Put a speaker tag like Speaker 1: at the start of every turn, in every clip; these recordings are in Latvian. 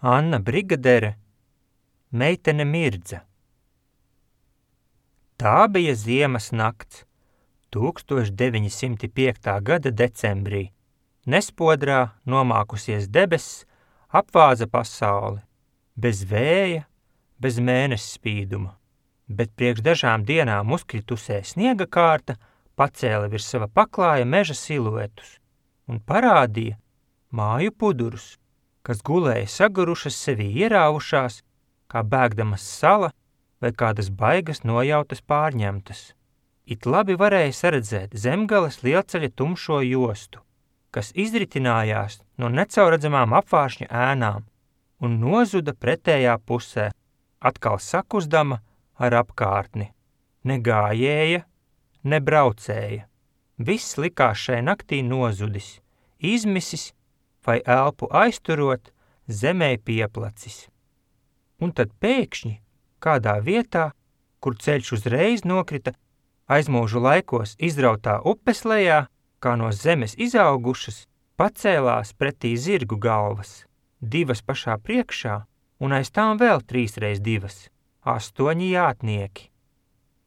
Speaker 1: Anna Brigadere, meitene Mirdza. Tā bija ziemas nakts, 1905. gada decembrī. Nespodrā nomākusies debesis apvāza pasauli, bez vēja, bez mēness spīduma, bet priekš dažām dienām uzkritusē sniega kārta pacēla virs sava paklāja meža siluetus un parādīja māju pudurus, kas gulēja sagurušas sevī ierāvušās, kā bēgdamas sala vai kādas baigas nojautas pārņemtas. It labi varēja saredzēt Zemgales lielceļa tumšo jostu, kas izritinājās no necaurredzamām apvāršņa ēnām un nozuda pretējā pusē, atkal sakuzdama ar apkārtni. Ne gājēja, ne braucēja. Viss likās šai naktī nozudis, izmisis vai elpu aizturot, zemē pieplacis. Un tad pēkšņi, kādā vietā, kur ceļš uzreiz nokrita, aizmūžu laikos izrautā upes lejā, kā no zemes izaugušas, pacēlās pretī zirgu galvas, 2 pašā priekšā un aiz tām vēl 3x2, 8 jātnieki.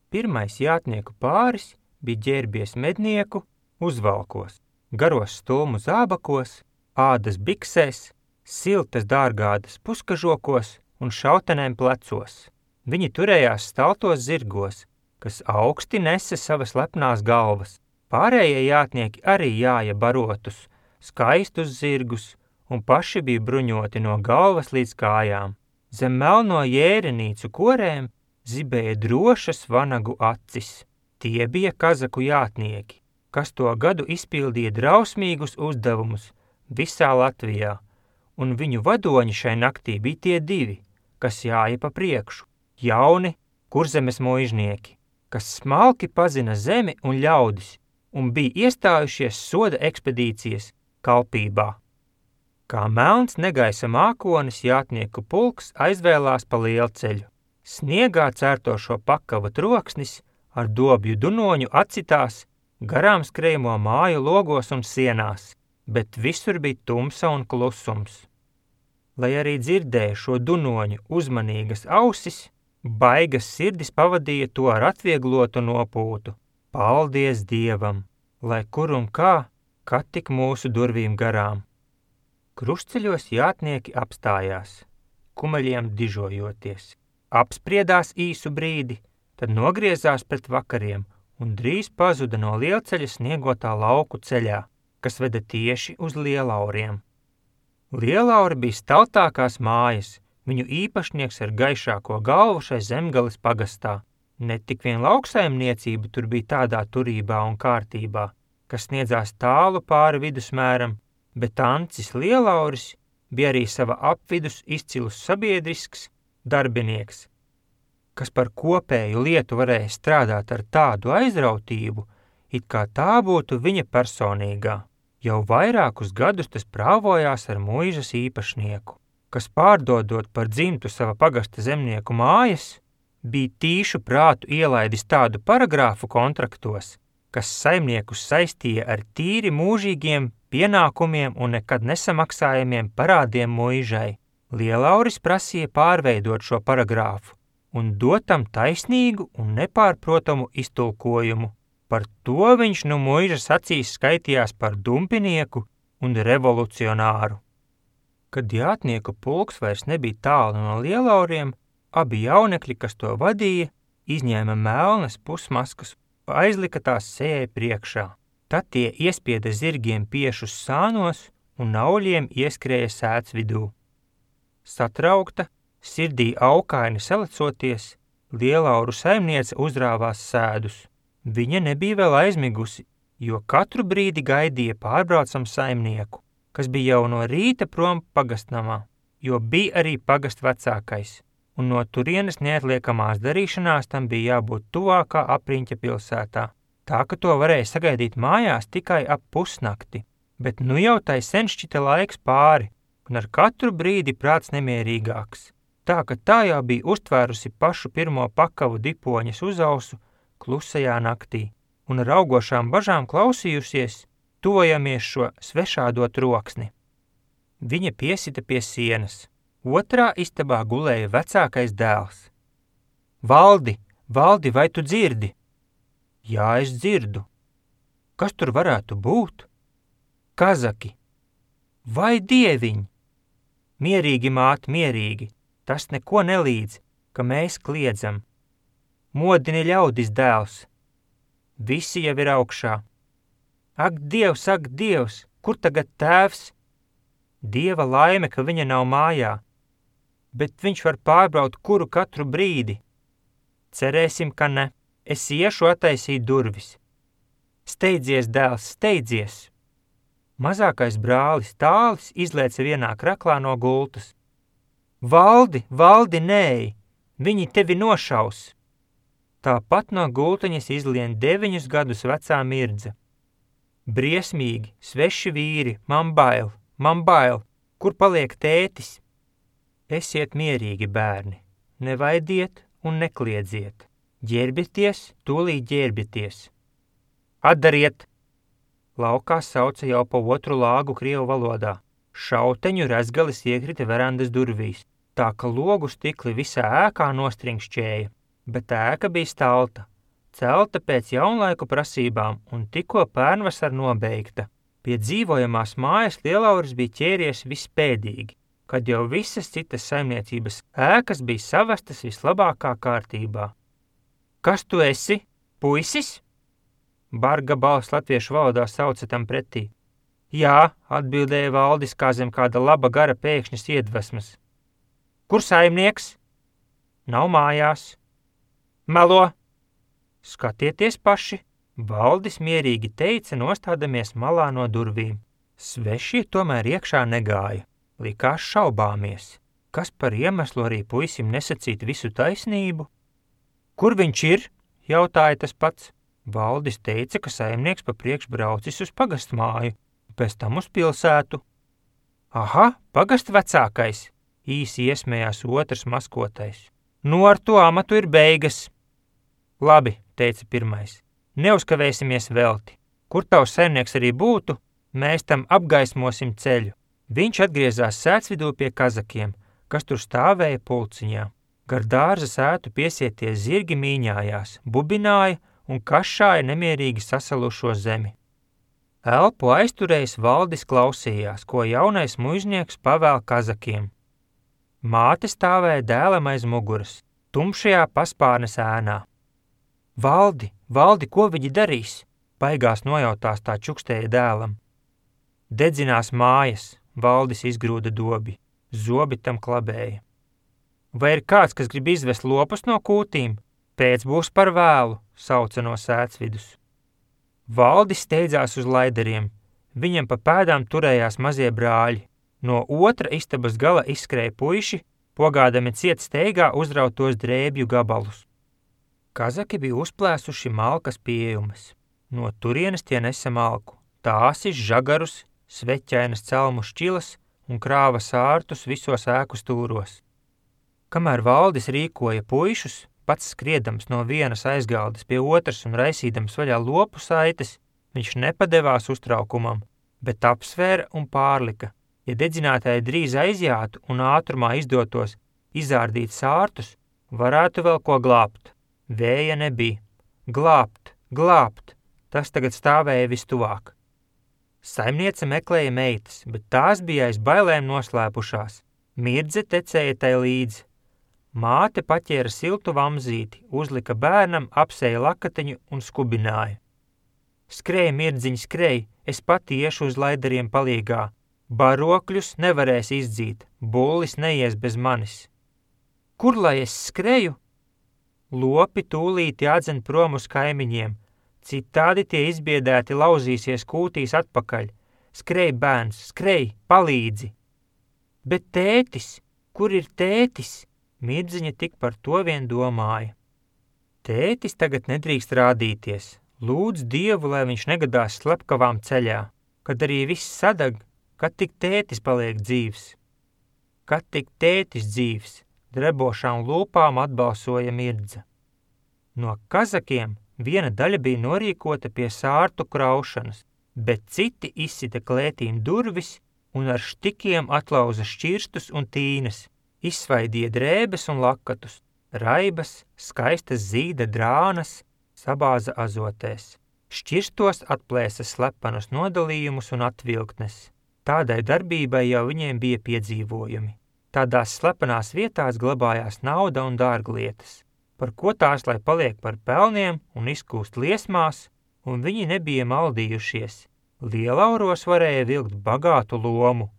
Speaker 1: Pirmais jātnieku pāris bija ģērbies mednieku uzvalkos, garos stulmu zābakos, ādas biksēs, siltas dārgādas puskažokos un šautenēm plecos. Viņi turējās staltos zirgos, kas augsti nesa savas lepnās galvas. Pārējie jātnieki arī jāja barotus, skaistus zirgus un paši bija bruņoti no galvas līdz kājām. Zem melno jērenīcu korēm zibēja drošas vanagu acis. Tie bija kazaku jātnieki, kas to gadu izpildīja drausmīgus uzdevumus visā Latvijā, un viņu vadoņi šai naktī bija tie 2, kas jāja pa priekšu, jauni Kurzemes muižnieki, kas smalki pazina zemi un ļaudis, un bija iestājušies soda ekspedīcijas kalpībā. Kā melns negaisa mākonis jātnieku pulks aizvēlās pa lielceļu. Sniegā cērtošo pakavu troksnis ar dobju dunoņu acitās garām skrējamo māju logos un sienās, bet visur bija tumsa un klusums. Lai arī dzirdēja šo dunoņu uzmanīgas ausis, baigas sirdis pavadīja to ar atvieglotu nopūtu. Paldies Dievam, lai kur un kā, kad tik mūsu durvīm garām. Krustceļos jātnieki apstājās, kumeļiem dižojoties. Apspriedās īsu brīdi, tad nogriezās pret vakariem un drīz pazuda no lielceļa sniegotā lauku ceļā, kas veda tieši uz Lielauriem. Lielauri bija staltākās mājas, viņu īpašnieks ar gaišāko galvu šai Zemgales pagastā. Ne tik vien lauksaimniecība tur bija tādā turībā un kārtībā, kas sniedzās tālu pāri vidusmēram, bet Ancis Lielauris bija arī sava apvidus izcilus sabiedrisks darbinieks, kas par kopēju lietu varēja strādāt ar tādu aizrautību, it kā tā būtu viņa personīgā. Jau vairākus gadus tas prāvojās ar muižas īpašnieku, kas pārdodot par dzimtu sava pagasta zemnieku mājas, bija tīšu prātu ielaidis tādu paragrāfu kontraktos, kas saimniekus saistīja ar tīri mūžīgiem pienākumiem un nekad nesamaksājumiem parādiem muižai. Lielauris prasīja pārveidot šo paragrāfu un dotam taisnīgu un nepārprotamu iztulkojumu. Par to viņš nu muižas acīs skaitījās par dumpinieku un revolucionāru. Kad jātnieku pulks vairs nebija tālu no Lielauriem, abi jaunekļi, kas to vadīja, izņēma melnas pusmaskas un aizlika tās sejai priekšā. Tad tie iespieda zirgiem piešus sānos un nauļiem ieskrēja sēts vidū. Satraukta, sirdī aukaini salecoties, Lielauru saimniece uzrāvās sēdus. Viņa nebija vēl aizmigusi, jo katru brīdi gaidīja pārbraucam saimnieku, kas bija jau no rīta prom pagastnamā, jo bija arī pagast vecākais, un no turienes neatliekamās darīšanās tam bija jābūt tuvākā apriņķa pilsētā, tā ka to varēja sagaidīt mājās tikai ap pusnakti, bet nu jau tai sen šķita laiks pāri, un ar katru brīdi prāts nemierīgāks, tā ka tā jau bija uztvērusi pašu pirmo pakavu dipoņas uzausu klusajā naktī, un ar augošām bažām klausījusies, tuvojamies šo svešādo troksni. Viņa piesita pie sienas, Otrā istabā gulēja vecākais dēls. Valdi, Valdi, vai tu dzirdi? Jā, es dzirdu. Kas tur varētu būt? Kazaki. Vai dieviņ? Mierīgi, māte, mierīgi. Tas neko nelīdz, ka mēs kliedzam. Modini ļaudis, dēls. Visi jau ir augšā. Ak, Dievs, kur tagad tēvs? Dieva laime, ka viņa nav mājā, bet viņš var pārbraukt kuru katru brīdi. Cerēsim, ka ne. Es iešu attaisīt durvis. Steidzies, dēls, steidzies! Mazākais brālis Tālis izlēca vienā kraklā no gultas. Valdi, nē! Viņi tevi nošaus! Tāpat no gultaņas izlien 9 gadus vecā Mirdze. Briesmīgi, sveši vīri, man bail, kur paliek tētis? Esiet mierīgi, bērni, nevaidiet un nekliedziet. Ģērbieties, tūlīt ģērbieties. Atdariet! Laukā sauca jau pa otru lāgu krievu valodā. Šauteņu rezgalis iekrita verandas durvīs, tā ka logu stikli visā ēkā nostringšķēja, bet ēka bija stalta, celta pēc jaunlaiku prasībām un tikko pērnvasara nobeigta. Pie dzīvojamās mājas Lielauris bija ķēries vispēdīgi, kad jau visas citas saimniecības ēkas bija savestas vislabākā kārtībā. Kas tu esi? Puisis? Barga balss latviešu valodā sauca tam pretī. Jā, atbildēja Valdis kā zem kāda laba gara pēkšņas iedvesmas. Kur saimnieks? Nav mājās. Melo! Skatieties paši, Valdis mierīgi teica, nostādamies malā no durvīm. Svešie tomēr iekšā negāja, likās šaubāmies. Kas par iemeslu arī puisim nesacīt visu taisnību? Kur viņš ir? Jautāja tas pats. Valdis teica, ka saimnieks pa priekš braucis uz pagastmāju, pēc tam uz pilsētu. Aha, pagast vecākais, īsi iesmējās otrs maskotais. Nu ar to amatu ir beigas. Labi, teica pirmais, neuzkavēsimies velti. Kur tavs saimnieks arī būtu, mēs tam apgaismosim ceļu. Viņš atgriezās sētsvidū pie kazakiem, kas tur stāvēja pulciņā. Gar dārza sētu piesieties zirgi mīņājās, bubināja un kašāja nemierīgi sasalušo zemi. Elpu aizturējis Valdis klausījās, ko jaunais muiznieks pavēl kazakiem. Māte stāvēja dēlam aiz muguras, tumšajā paspārnes ēnā. Valdi, ko viņi darīs? Baigās nojautās tā čukstēja dēlam. Dedzinās mājas, Valdis izgrūda dobi, zobi tam klabēja. Vai ir kāds, kas grib izvest lopus no kūtīm? Pēc būs par vēlu, sauca no sētsvidus. Valdis steidzās uz laideriem, viņam pa pēdām turējās mazie brāļi. No otra istabas gala izskrēja puiši, pogādami ciet steigā uzrautos drēbju gabalus. Kazaki bija uzplēsuši malkas pieejumas. No turienes tie nesa malku, tāsis, žagarus, sveķainas celmu šķilas un krāva sārtus visos ēku stūros. Kamēr Valdis rīkoja puišus, pats skriedams no vienas aizgaldes pie otras un raisīdams vaļā lopu saites, viņš nepadevās uztraukumam, bet apsvēra un pārlika. Ja dedzinātāji drīz aizjātu un ātrumā izdotos izārdīt sārtus, varētu vēl ko glābt. Vēja nebija. Glābt, tas tagad stāvēja vistuvāk. Saimniece meklēja meitas, bet tās bija aiz bailēm noslēpušās. Mirdze tecēja tai līdzi. Māte paķēra siltu vamzīti, uzlika bērnam, apsēja lakateņu un skubināja. Skrej, Mirdziņ, skrej, es pati iešu uz laidariem palīgā. Barokļus nevarēs izdzīt, bullis neies bez manis. Kur lai es skreju? Lopi tūlīt jādzen prom uz kaimiņiem, citādi tie izbiedēti lauzīsies kūtīs atpakaļ. Skrej, bērns, skrej, palīdzi! Bet tētis, kur ir tētis? Mirdziņa tik par to vien domāja. Tētis tagad nedrīkst rādīties. Lūdz Dievu, lai viņš negadās slepkavām ceļā, kad arī viss sadag, kad tik tētis paliek dzīvs. Kad tik tētis dzīvs, drebošām lūpām atbalsoja Mirdze. No kazakiem viena daļa bija norīkota pie sārtu kraušanas, bet citi izsita klētīm durvis un ar štikiem atlauza šķirstus un tīnes, Izsvaidīja drēbes un lakatus, raibas, skaistas zīda drānas, sabāza azotēs. Šķirstos atplēsa slepenus nodalījumus un atvilktnes. Tādai darbībai jau viņiem bija piedzīvojumi. Tādās slepenās vietās glabājās nauda un dārglietas, par ko tās lai paliek par pelniem un izkūst liesmās, un viņi nebija maldījušies. Lielauros varēja vilkt bagātu lomu,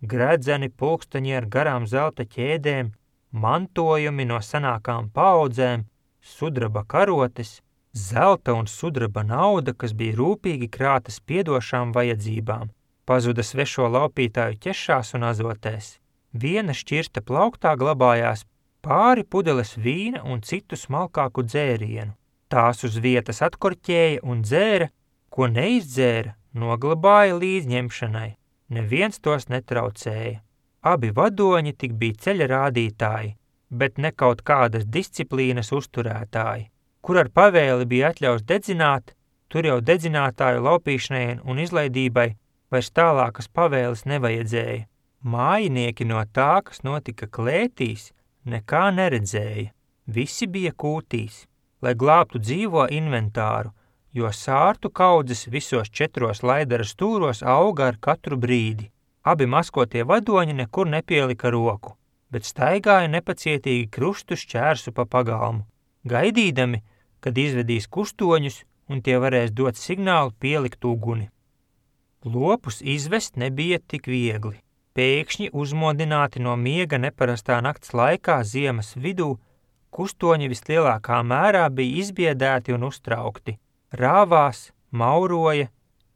Speaker 1: gredzeni pulksteņi ar garām zelta ķēdēm, mantojumi no senākām paaudzēm, sudraba karotes, zelta un sudraba nauda, kas bija rūpīgi krāta spiedošām vajadzībām, pazuda svešo laupītāju ķešās un azotēs. Viena šķirsta plauktā glabājās pāri pudeles vīna un citu smalkāku dzērienu. Tās uz vietas atkorķēja un dzēra, ko neizdzēra, noglabāja līdz ņemšanai. Neviens tos netraucēja. Abi vadoņi tik bija ceļa rādītāji, bet ne kaut kādas disciplīnas uzturētāji. Kur ar pavēli bija atļaus dedzināt, tur jau dedzinātāju laupīšanai un izlaidībai vairs tālākas pavēles nevajadzēja. Mājinieki no tā, kas notika klētīs, nekā neredzēja. Visi bija kūtīs, lai glābtu dzīvo inventāru, jo sārtu kaudzes visos 4 laidara stūros auga ar katru brīdi. Abi maskotie vadoņi nekur nepielika roku, bet staigāja nepacietīgi krustu šķērsu pa pagalmu, gaidīdami, kad izvedīs kustoņus un tie varēs dot signālu pielikt uguni. Lopus izvest nebija tik viegli. Pēkšņi uzmodināti no miega neparastā nakts laikā ziemas vidū, kustoņi vislielākā mērā bija izbiedēti un uztraukti. Rāvās, mauroja,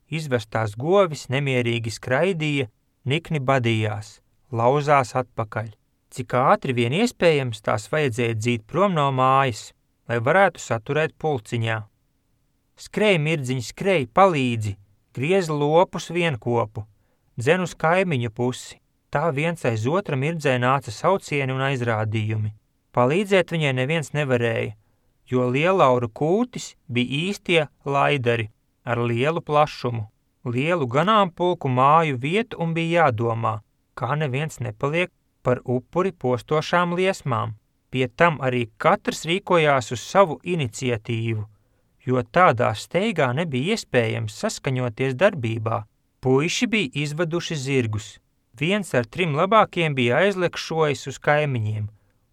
Speaker 1: izvestās govis nemierīgi skraidīja, nikni badījās, lauzās atpakaļ. Cik ātri vien iespējams tās vajadzēja dzīt prom no mājas, lai varētu saturēt pulciņā. Skrej, mirdziņi, skrej, palīdzi, griez lopus vienkopu, dzen uz kaimiņu pusi. Tā viens aiz otra mirdzē nāca saucieni un aizrādījumi. Palīdzēt viņai neviens nevarēja, jo lielauru kūtis bija īstie laidari ar lielu plašumu, lielu ganāmpulku māju vietu un bija jādomā, kā neviens nepaliek par upuri postošām liesmām. Pie tam arī katrs rīkojās uz savu iniciatīvu, jo tādā steigā nebija iespējams saskaņoties darbībā. Puiši bija izvaduši zirgus. Viens ar 3 labākiem bija aizlekšojis uz kaimiņiem,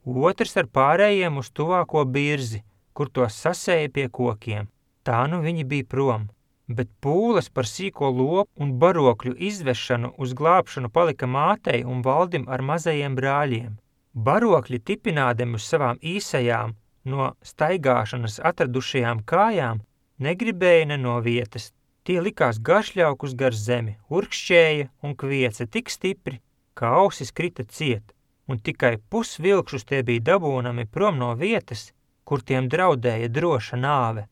Speaker 1: otrs ar pārējiem uz tuvāko birzi, kur tos sasēja pie kokiem. Tā nu viņi bija prom, bet pūles par sīko lopu un barokļu izvešanu uz glābšanu palika mātei un valdim ar mazajiem brāļiem. Barokļi tipinādami uz savām īsajām, no staigāšanas atradušajām kājām, negribēja ne no vietas. Tie likās garšļaukus gar zemi, urkšķēja un kvieca tik stipri, ka ausis krita ciet, un tikai pusvilkšus tie bija dabūnami prom no vietas, kur tiem draudēja droša nāve.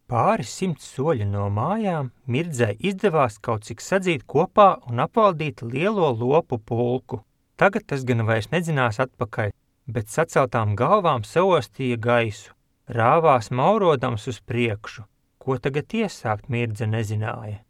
Speaker 1: Pāri 100 soļi no mājām Mirdzai izdevās kaut cik sadzīt kopā un apvaldīt lielo lopu pulku. Tagad tas gan vairs nedzinās atpakaļ, bet saceltām galvām saostīja gaisu, rāvās maurodams uz priekšu. Ko tagad iesākt, Mirdze nezināja.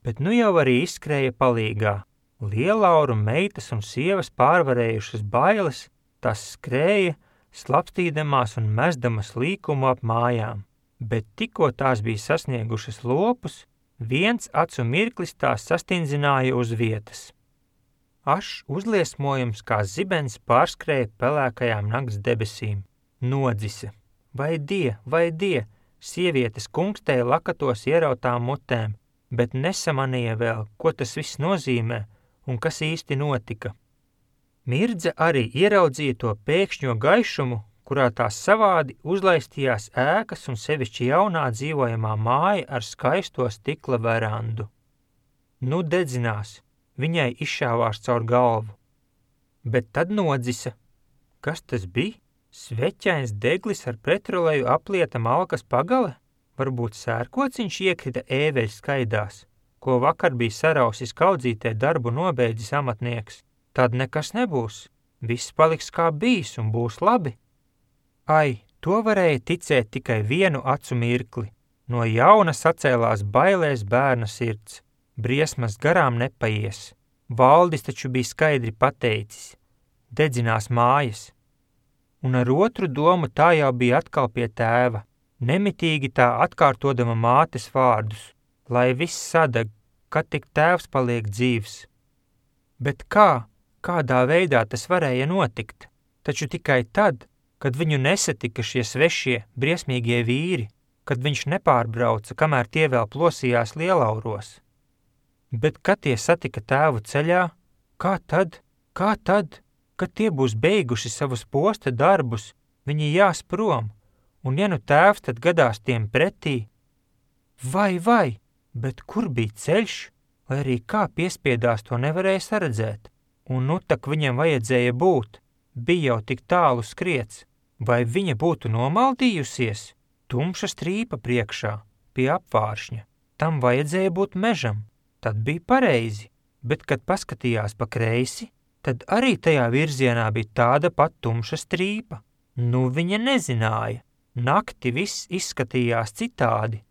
Speaker 1: Bet nu jau arī izskrēja palīgā. Lielauru meitas un sievas pārvarējušas bailes, tās skrēja, slapstīdamās un mesdamas līkumu ap mājām. Bet tikko tās bija sasniegušas lopus, viens acu mirklis tās sastindzināja uz vietas. Ašs uzliesmojums kā zibens pārskrēja pelēkajām nakts debesīm. Nodzise. Vai die! Sievietes kungstēja lakatos ierautām mutēm, bet nesamanīja vēl, ko tas viss nozīmē un kas īsti notika. Mirdze arī ieraudzīja to pēkšņo gaišumu, kurā tās savādi uzlaistījās ēkas un sevišķi jaunā dzīvojamā māja ar skaisto stikla verandu. Nu dedzinās, viņai izšāvās caur galvu. Bet tad nodzisa. Kas tas bija? Sveķains deglis ar petroleju aplieta malkas pagale? Varbūt sērkociņš iekrita ēveļ skaidās, ko vakar bija sarausis kaudzītē darbu nobeidzis amatnieks. Tad nekas nebūs. Viss paliks kā bijis un būs labi. Ai, to varēja ticēt tikai vienu acu mirkli. No jauna sacēlās bailēs bērna sirds. Briesmas garām nepaies. Valdis taču bija skaidri pateicis. dedzinās mājas. Un ar otru domu tā jau bija atkal pie tēva, nemitīgi tā atkārtodama mātes vārdus, lai viss sadeg, kad tik tēvs paliek dzīvs. Bet kādā veidā tas varēja notikt? Taču tikai tad, kad viņu nesatika šie svešie, briesmīgie vīri, kad viņš nepārbrauca, kamēr tie vēl plosījās Lielauros. Bet kad tie satika tēvu ceļā, kā tad, kad tie būs beiguši savus posta darbus, viņi jās prom, un ja nu tēvs tad gadās tiem pretī? Vai, bet kur bija ceļš, lai arī kā piespiedās to nevarēja saredzēt, un nu tak viņam vajadzēja būt, bija jau tik tālu skriets, vai viņa būtu nomaldījusies? Tumša strīpa priekšā, pie apvāršņa, tam vajadzēja būt mežam, tad bija pareizi, bet kad paskatījās pa kreisi, tad arī tajā virzienā bija tāda pat tumša strīpa. Nu viņa nezināja, nakti viss izskatījās citādi.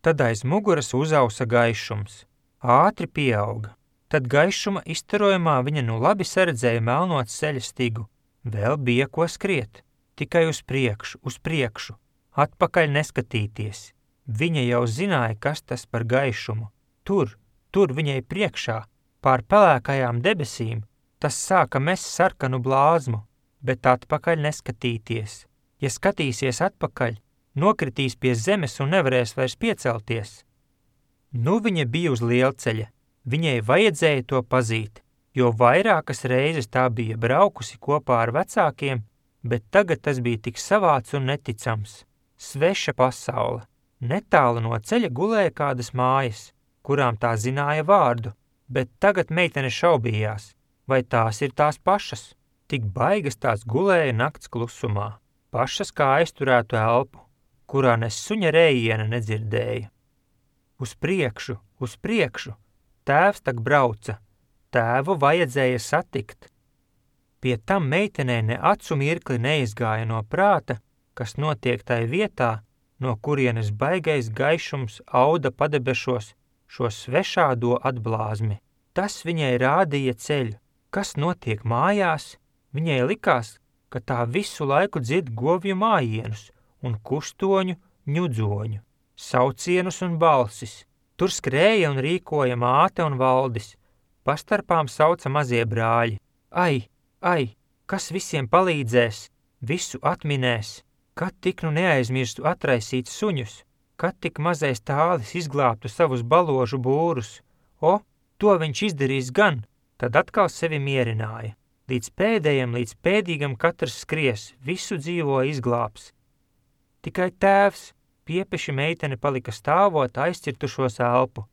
Speaker 1: Tad aiz muguras uzausa gaišums, ātri pieauga, tad gaišuma iztarojumā viņa nu labi saredzēja melnot ceļa stigu, vēl bija ko skriet, tikai uz priekšu, atpakaļ neskatīties. Viņa jau zināja, kas tas par gaišumu. Tur viņai priekšā, pār pelēkajām debesīm, tas sāka mest sarkanu blāzmu, bet atpakaļ neskatīties. Ja skatīsies atpakaļ, nokritīs pie zemes un nevarēs vairs piecelties. Nu viņa bija uz lielceļa, viņai vajadzēja to pazīt, jo vairākas reizes tā bija braukusi kopā ar vecākiem, bet tagad tas bija tik savāds un neticams. Sveša pasaule. Netālu no ceļa gulēja kādas mājas, kurām tā zināja vārdu, bet tagad meitene šaubījās, vai tās ir tās pašas. Tik baigas tās gulēja nakts klusumā, pašas kā aizturētu elpu, kurā ne suņa rējiena nedzirdēja. Uz priekšu, tēvs tak brauca, tēvu vajadzēja satikt. Pie tam meitenei ne acu mirkli neizgāja no prāta, kas notiek tai vietā, no kurienes baigais gaišums auda padebešos šo svešādo atblāzmi. Tas viņai rādīja ceļu, kas notiek mājās, viņai likās, ka tā visu laiku dzird govju mājienus un kustoņu, ņudzoņu, saucienus un balsis. Tur skrēja un rīkoja māte un Valdis, pastarpām sauca mazie brāļi. Ai, kas visiem palīdzēs, visu atminēs, kad tik nu neaizmirstu atraisīt suņus, kad tik mazais tālis izglābtu savus baložu būrus. To viņš izdarīs gan, tad atkal sevi mierināja. Līdz pēdīgam katrs skries, visu dzīvo izglābs. Tikai tēvs, piepeši meitene palika stāvot aizcirtušos elpu.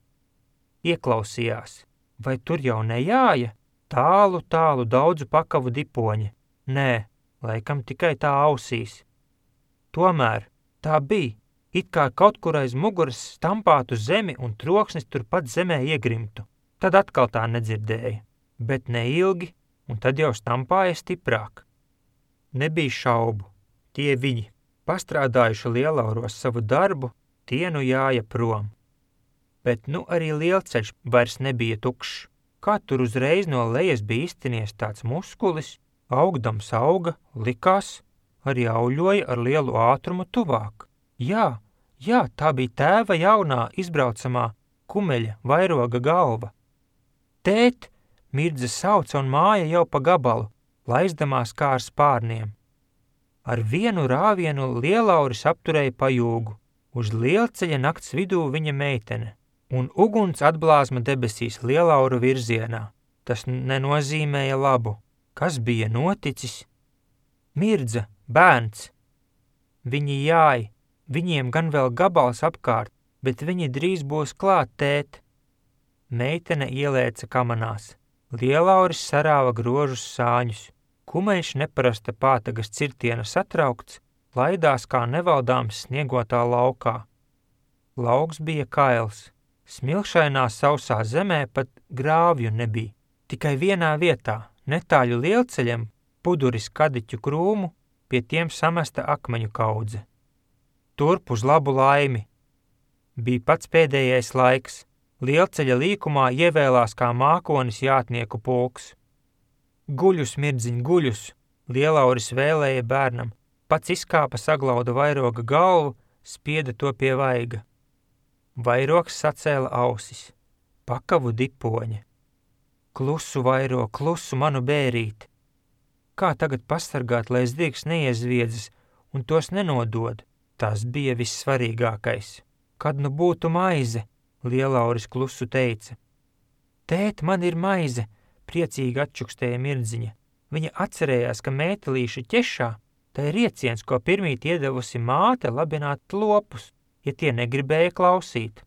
Speaker 1: Ieklausījās, vai tur jau nejāja? Tālu daudzu pakavu dipoņi. Nē, laikam tikai tā ausīs. Tomēr tā bija, it kā kaut kur aiz muguras stampātu zemi un troksnis turpat zemē iegrimtu. Tad atkal tā nedzirdēja, bet neilgi, un tad jau stampāja stiprāk. Nebija šaubu, tie viņi, pastrādājuši Lielauros savu darbu, tie nu jāja prom. Bet nu arī lielceļš vairs nebija tukšs. Kā tur uzreiz no lejas bija iztinies tāds muskulis, augdams auga, likās, arī auļoja ar lielu ātrumu tuvāk. Jā, tā bija tēva jaunā izbraucamā kumeļa vairoga galva. Tēt, Mirdze sauca un māja jau pa gabalu, laizdamās kā ar spārniem. Ar vienu rāvienu Lielauris apturēja pajūgu, uz lielceļa nakts vidū viņa meitene, un uguns atblāzma debesīs Lielauru virzienā. Tas nenozīmēja labu. Kas bija noticis? Mirdze, bērns. Viņi jāja, viņiem gan vēl gabals apkārt, bet viņi drīz būs klāt, tēt. Meitene ielēca kamanās. Lielauris sarāva grožus sāņus. Kumeļš neparasta pātagas cirtiena satraukts, laidās kā nevaldāms sniegotā laukā. Lauks bija kails. Smilšainā sausā zemē pat grāvju nebija. Tikai vienā vietā, netāļu lielceļam, puduris kadiķu krūmu, pie tiem samesta akmeņu kaudze. Turp uz labu laimi. Bija pats pēdējais laiks. Lielceļa līkumā ievēlās kā mākonis jātnieku pulks. Guļus, mirdziņ, guļus, Lielauris vēlēja bērnam, pats izkāpa, saglauda vairoga galvu, spieda to pie vaiga. Vairogs sacēla ausis, pakavu dipoņa. Klusu, vairo, klusu, manu bērīt. Kā tagad pasargāt, lai zirgs neiezviedzas un tos nenodod? Tas bija vissvarīgākais. Kad nu būtu maize, Lielauris klusu teica. Tēt, man ir maize, priecīgi atčukstēja mirdziņa. Viņa atcerējās, ka mētelīša ķešā, tā ir rieciens, ko pirmīt iedevusi māte labināt lopus, ja tie negribēja klausīt.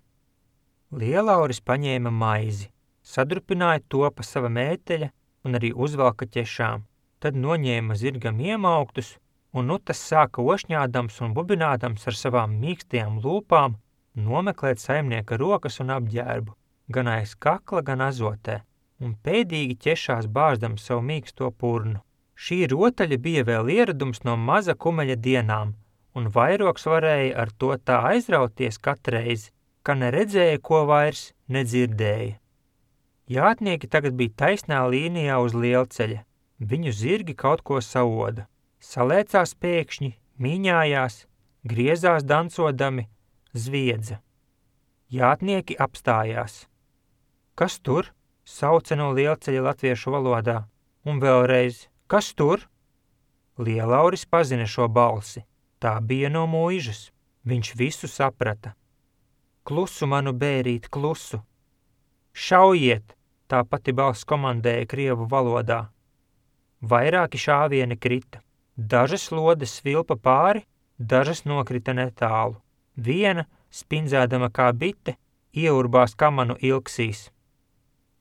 Speaker 1: Lielauris paņēma maizi, sadrupināja to pa sava mēteļa un arī uzvalka ķešām, tad noņēma zirgam iemauktus, un nu tas sāka ošņādams un bubinādams ar savām mīkstajām lūpām nomeklēt saimnieka rokas un apģērbu, gan aiz kakla, gan azotē, un pēdīgi ķešās bāždams savu mīksto purnu. Šī rotaļa bija vēl ieradums no maza kumeļa dienām, un vairogs varēja ar to tā aizrauties katreiz, ka neredzēja, ko vairs nedzirdēja. Jātnieki tagad bija taisnā līnijā uz lielceļa. Viņu zirgi kaut ko saoda. Salēcās pēkšņi, mīņājās, griezās dancodami, zviedza. Jātnieki apstājās. Kas tur? Sauca no lielceļa latviešu valodā. Un vēlreiz, kas tur? Lielauris pazina šo balsi. Tā bija no mūižas. Viņš visu saprata. Klusu, manu bērīt, klusu. Šaujiet, tā pati balss komandēja krievu valodā. Vairāki šāvieni krita. Dažas lodes svilpa pāri, dažas nokrita netālu. Viena, spindzēdama kā bite, ieurbās kamanu ilksīs.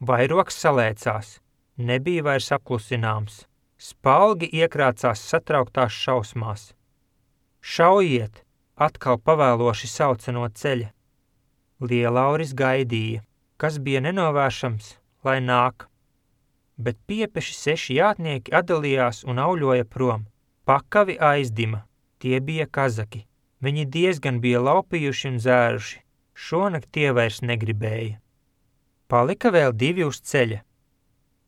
Speaker 1: Vairogs salēcās. Nebija vairs apklusināms. Spalgi iekrācās satrauktās šausmās. Šaujiet, atkal pavēloši sauca no ceļa. Lielauris gaidīja, kas bija nenovēršams, lai nāk. Bet piepeši 6 jātnieki atdalījās un auļoja prom. Pakavi aizdima, tie bija kazaki. Viņi diezgan bija laupījuši un zēruši. Šonakt tie vairs negribēja. Palika vēl 2 uz ceļa.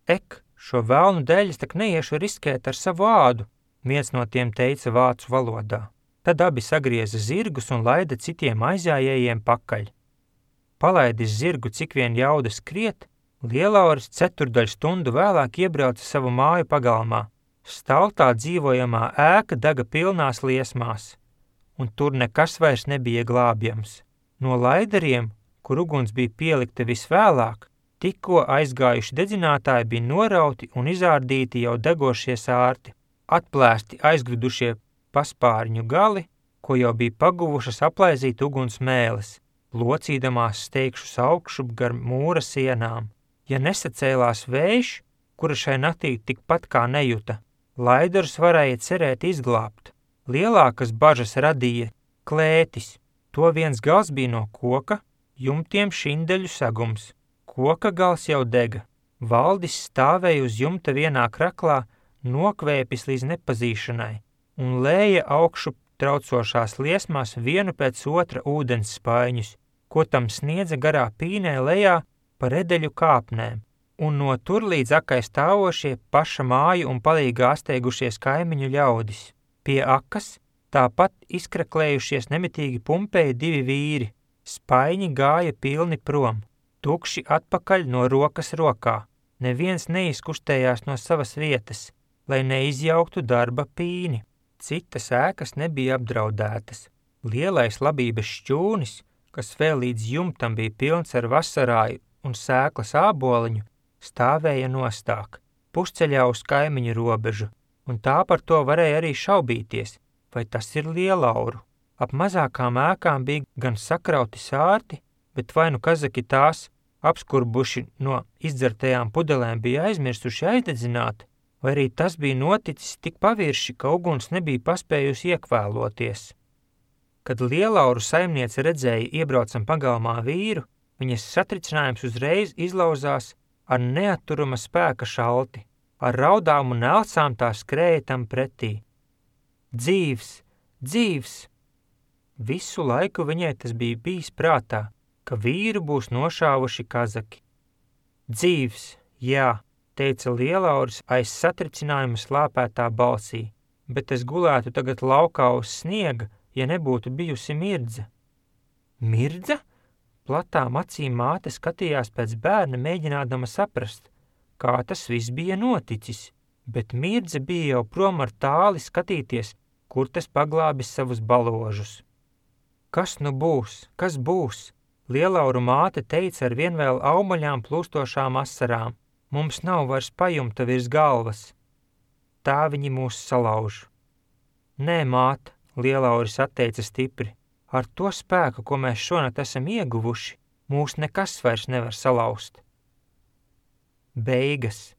Speaker 1: Ek, šo velnu dēļ tak neiešu riskēt ar savu ādu, viens no tiem teica vācu valodā. Tad abi sagrieza zirgus un laida citiem aizjājējiem pakaļ. Palaidis zirgu cik vien jauda skriet, Lielauris 4/4 stundu vēlāk iebrauca savu māju pagalmā. Staltā dzīvojamā ēka dega pilnās liesmās, un tur nekas vairs nebija glābjams. No laidariem, kur uguns bija pielikta visvēlāk, tikko aizgājuši dedzinātāji bija norauti un izārdīti jau degošie sārti, atplēsti aizgridušie paspārņu gali, ko jau bija paguvušas aplaizīt uguns mēles, locīdamās steigšus augšup gar mūra sienām. Ja nesacēlās vējš, kura šai naktī tikpat kā nejuta, laidarus varēja cerēt izglābt. Lielākas bažas radīja klētis. To viens gals bija no koka, jumtiem šindeļu sagums. Koka gals jau dega. Valdis stāvēja uz jumta vienā kraklā, nokvēpis līdz nepazīšanai, un lēja augšup traucošās liesmās vienu pēc otra ūdens spaiņus, ko tam sniedza garā pīnē lejā pa redeļu kāpnēm, un no tur līdz akai stāvošie paša māju un palīgā asteigušies kaimiņu ļaudis. Pie akas tāpat izkraklējušies nemitīgi pumpēja 2 vīri, spaiņi gāja pilni prom, tukši atpakaļ no rokas rokā. Neviens neizkustējās no savas vietas, lai neizjauktu darba pīni. Citas ēkas nebija apdraudētas. Lielais labības šķūnis, kas vēl līdz jumtam bija pilns ar vasarāju un sēklas āboliņu, stāvēja nostāk, pusceļā uz kaimiņu robežu, un tā par to varēja arī šaubīties, vai tas ir Lielauru. Ap mazākām ēkām bija gan sakrauti sārti, bet vai nu kazaki tās, apskurbuši no izdzertajām pudelēm, bija aizmirsuši aizdedzināt, vai arī tas bija noticis tik pavirši, ka uguns nebija paspējusi iekvēloties. Kad Lielauru saimniece redzēja iebraucam pagalmā vīru, viņas satricinājums uzreiz izlauzās ar neatturama spēka šalti, ar raudām un elcām tā skrēja tam pretī. Dzīvs, dzīvs! Visu laiku viņai tas bija bijis prātā, ka vīru būs nošāvuši kazaki. Dzīvs, jā, teica Lielauris aiz satricinājuma slāpētā balsī, bet es gulētu tagad laukā uz sniega, ja nebūtu bijusi Mirdze. Mirdze? Platām acīm māte skatījās pēc bērna, mēģinādama saprast, kā tas viss bija noticis, bet Mirdze bija jau prom ar tāli skatīties, kur tas paglābis savus baložus. Kas nu būs? Kas būs? Lielauru māte teica ar vien vēl aumaļām plūstošām asarām. Mums nav vairs pajumta virs galvas. Tā viņi mūs salauž. Nē, māte, Lielauris atteica stipri. Ar to spēku, ko mēs šonakt esam ieguvuši, mūs nekas vairs nevar salauzt. Beigas,